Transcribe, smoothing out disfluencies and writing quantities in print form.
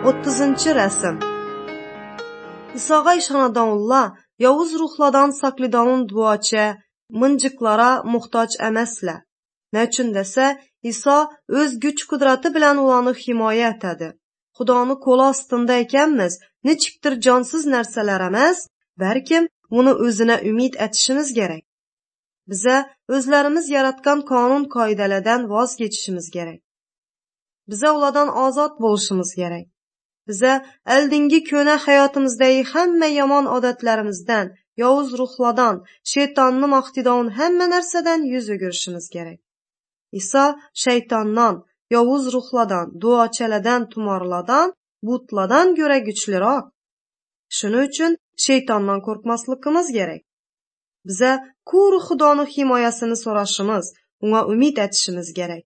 30 rəsm. İsa'ga işanadan Allah, yavuz ruhlardan saklidanın duaçə, mıncıqlara muhtaç əməslə. Nə üçün desə, İsa öz güç qudratı bilən olanı himayə etədi. Xudanı kolu astında ekənmiz, neçikdir cansız nərsələr əməz, bəlkə bunu özünə ümid etişimiz gerek. Bize özlərimiz yaratqan kanun qaydalardan vaz geçişimiz gerek. Bize oladan azad boluşumuz gerek. Bize əldingi köhnə həyatımızdaki həmmə yaman adətlərimizdən, yavuz ruhlardan, şeytanın iqtidarının həmmə nərsədən yüz ögürüşümüz gerek. İsa şeytandan, yavuz ruhlardan, duaçələrdən, tumarlardan, butlardan göre güçlürak. Şunun üçün şeytandan korkmaslıqımız gerek. Bize kuru Xudanın himayəsini soraşımız, ona ümid etişimiz gerek.